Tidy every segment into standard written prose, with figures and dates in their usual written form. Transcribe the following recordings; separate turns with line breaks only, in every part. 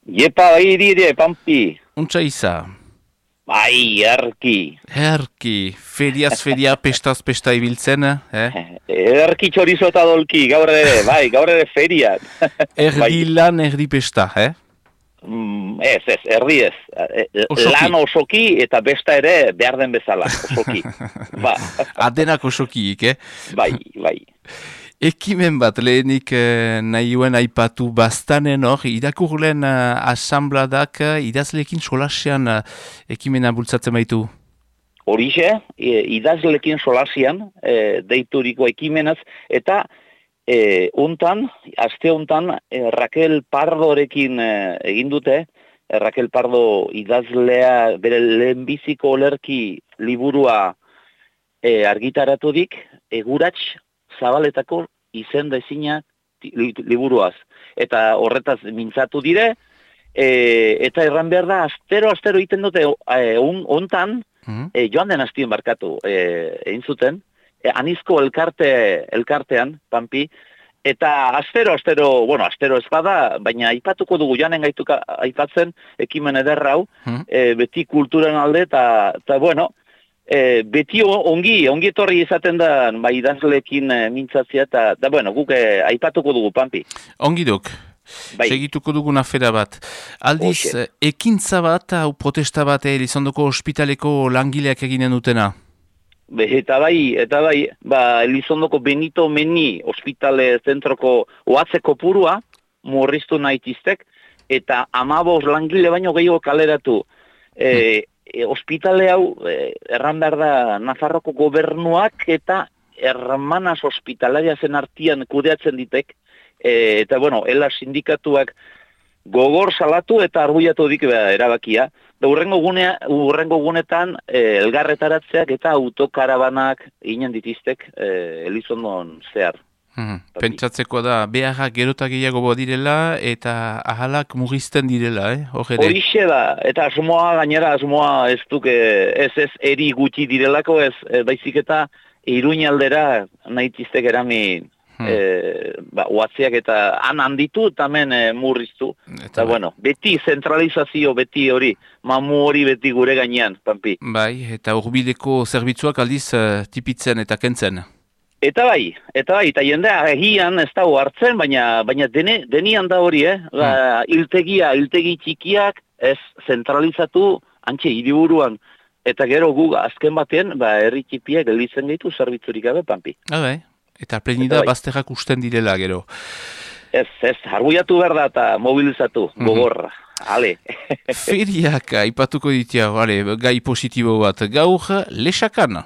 Iepa, dire, Pampi.
Untsa iza.
Bai, erki.
Herki, feriaz feria, pestaz pesta ibiltzen, eh?
Erki txorizo eta dolki, gaur ere feriat. Bai,
Erdi lan, erdi pesta, eh?
ez, erdi ez.
Osoki.
Lan osoki eta besta ere behar den bezala, osoki. Ba,
Adenak osokiik, eh?
bai, bai.
Ekimen bat, lehenik nahioen aipatu bastanen hor, irakurlen asambladak idazlekin solasean ekimena bultzatzen baitu.
Horixe, idazlekin solasian, deituriko ekimenaz, eta aste hontan, Raquel Pardorekin egin dute, Raquel Pardo idazlea bere lehenbiziko olerki liburua argitaratudik, Egurats Zabaletako izen da ezina liburuaz. Eta horretaz mintzatu dire, eta erran behar da, astero egiten dute, hontan, joan den hastien barkatu, egin zuten, anizko elkartean, Pampi, eta astero ez bada, baina aipatuko dugu, joanen gaituka aipatzen, ekimen ederra hau, beti kulturan alde, eta bueno, beti ongi etorri izaten da, bai idazlekin mintzatzea, eta bueno, guk aipatuko dugu, Pampi.
Ongi duk.
Bai.
Segituko dugun afera bat. Aldiz, ekintza bat, hau protesta bat, Elizondoko ospitaleko langileak eginen dutena?
Eta bai, Elizondoko Benito Meni ospitale zentroko oatzeko purua, murriztu nahitiztek, eta 15 langile baino gehiago kaleratu. Ospitale hau, erran behar da, Nafarroko gobernuak eta hermanas hospitalaria zen artian kudeatzen ditek, eta bueno, ela sindikatuak gogor salatu eta arbuiatu dik erabakia. Da urrengo gunetan elgarretaratzeak eta autokarabanak ginen ditiztek Elizondon zehar.
Pentsatzeko da, beharrak gerota gehiago direla eta ahalak mugizten direla,
Horixe da, eta asmoa ez duke, ez eri gutxi direlako, ez baizik eta Iruñaldera nahitiztek eramin oatziak eta handitu eta hemen murriztu. Eta bueno, beti zentralizazio, beti hori, mamu hori beti gure gainean, Pampi.
Bai, eta hurbileko zerbitzuak aldiz tipitzen eta kentzen.
Eta bai, eta jendea egian ez dago hartzen, baina denian da hori, hiltegi txikiak ez zentralizatu antxe hiriburuan. Eta gero gu azken batean, herri txipiak gelditzen gaitu zerbitzurik gabe, Pampi.
Bai, eta plenida bazterrak usten direla gero.
Ez, arbuiatu behar da eta mobilizatu, gogorra. Ale.
Feriak aipatuko ditia, gai positibo bat, gaur lesakan.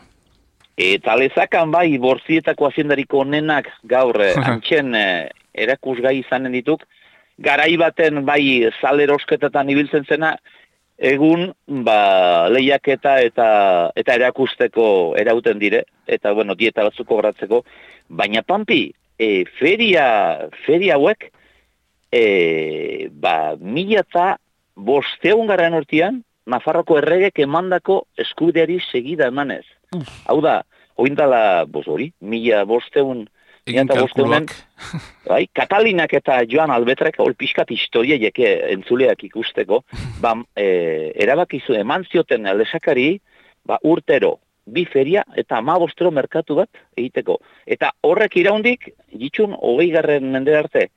Eta lezakan bai, Borzietako aziendariko onenak gaur antxen erakusgai izanen dituk. Garai baten bai salerosketetan ibiltzen zena, egun lehiaketa eta erakusteko erauten dire, eta bueno, dieta batzuk kobratzeko. Baina Pampi, feria hauek, 1500 urtean, Nafarroko erregek emandako eskubideari segida emanez. Hau da, oindala, 1500 bai, Katalinak eta Joan Albetrek, hor pixkat historia jeke entzuleak ikusteko, erabakizu eman zioten lesakari, urtero, 2 feria eta 15 merkatu bat egiteko. Eta horrek iraundik, ditxun, 20. mende arte,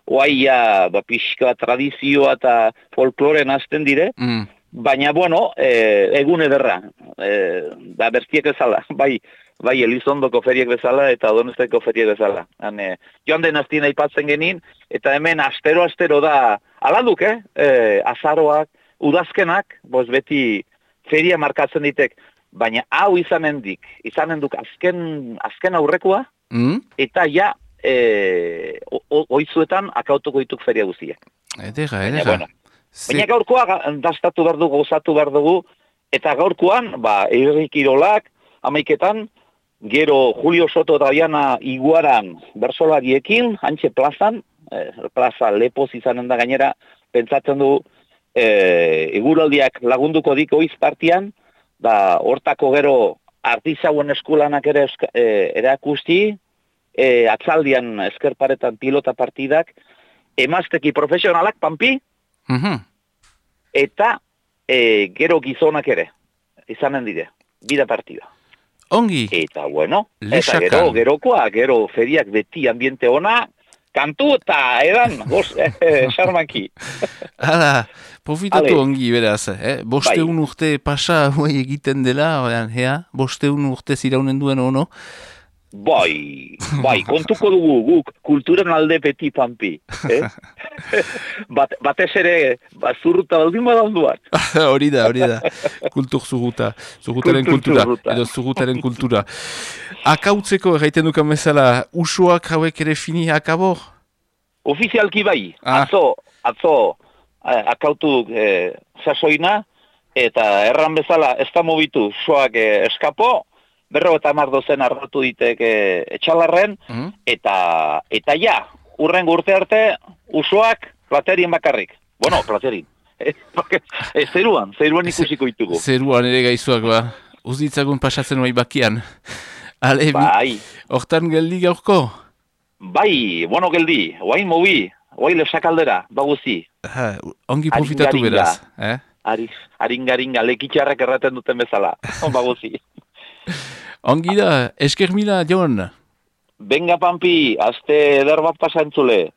oaia, pixka tradizioa eta folkloren azten dire, baina, bueno, egun ederra, bertiek bezala, bai Elizondoko feriek bezala eta Donosteko feriek bezala. Joan den hastien aipatzen genin, eta hemen astero da, aladuk, azaroak, udazkenak, beti feria markatzen ditek, baina hau izanen duk azken aurrekoa, eta ja, oizuetan akautuko dituk feria guztiak.
Edera.
Baina gaurkoa dastatu behar dugu, gozatu behar dugu, eta gaurkoan, herri kirolak, 11etan, gero Julio Soto eta Diana Iguaran bersolariekin, antxe plazan, plaza lepoz izanen da gainera, pentsatzen du, eguraldiak lagunduko dik oiz partian, hortako gero artizauen eskulanak ere erakusti, atzaldian eskerparetan pilota partidak, emazteki profesionalak, Pampi, Eta gero gizonak ere, izanen dire, bida partida.
Ongi.
Eta bueno,
Lesakan.
eta gerokoa, gero feriak beti ambiente ona, kantu eta edan, xarmanki.
Hala, profitatu
Ale.
ongi beraz, bosteun urte pasa huai egiten dela, bosteun urte ziraunen duen ono.
Bai, kontuko dugu guk kulturan alde beti pampi. Batez ere, zurruta baldin badalduan.
Hori da, kultur zurruta, zurrutaren kultura, edo zurrutaren kultura. Akautzeko erraiten dukan bezala, usuak hauek ere fini akabo?
Ofizialki bai, atzo akautu sasoina, eta erran bezala ez da mobitu soak eskapo, 50 arratu ditek etxalarren, eta ja, urrengo urte arte, usoak platerien bakarrik. Bueno, platerin. Zeruan ikusiko ditugu.
Zeruan ere gaizuak ba, uzditzagun pasatzen bai bakian. Ale,
bai.
Hortan geldi gaurko?
Bai, bueno geldi, oain mobi, oain lesakaldera, baguzi.
Ongi profitatu beraz.
Haringaringa, lekitxarrak erraten duten bezala, baguzi.
Ongi da, esker mila, Jon.
Benga, Pampi, azte eder bat pasantzule.